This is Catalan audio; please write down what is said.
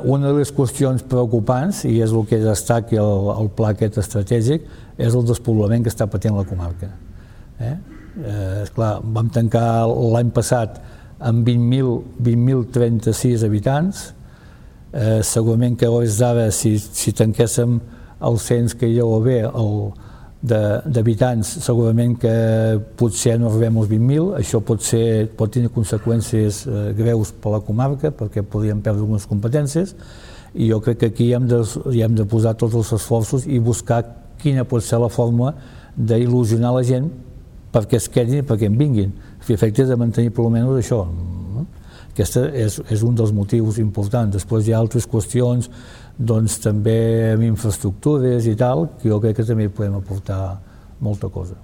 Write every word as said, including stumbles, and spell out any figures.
Una de les qüestions preocupants, i és el que destaqui el, el pla aquest estratègic, és el despoblament que està patint la comarca. Eh? Eh, esclar, vam tancar l'any passat amb vint mil trenta-sis habitants. Eh, segurament que a hores d'ara, si, si tanquéssim el cens que hi ha o bé d'habitants, segurament que potser no arribem als vint mil. Això pot, ser, pot tenir conseqüències eh, greus per a la comarca, perquè podríem perdre algunes competències, i jo crec que aquí hem de, hem de posar tots els esforços i buscar quina pot ser la fórmula d'il·lusionar la gent perquè es quedin i perquè en vinguin. A efectes de mantenir per almenys això. Aquest és, és un dels motius importants. Després hi ha altres qüestions, doncs també amb infraestructures i tal, que jo crec que també podem aportar molta cosa.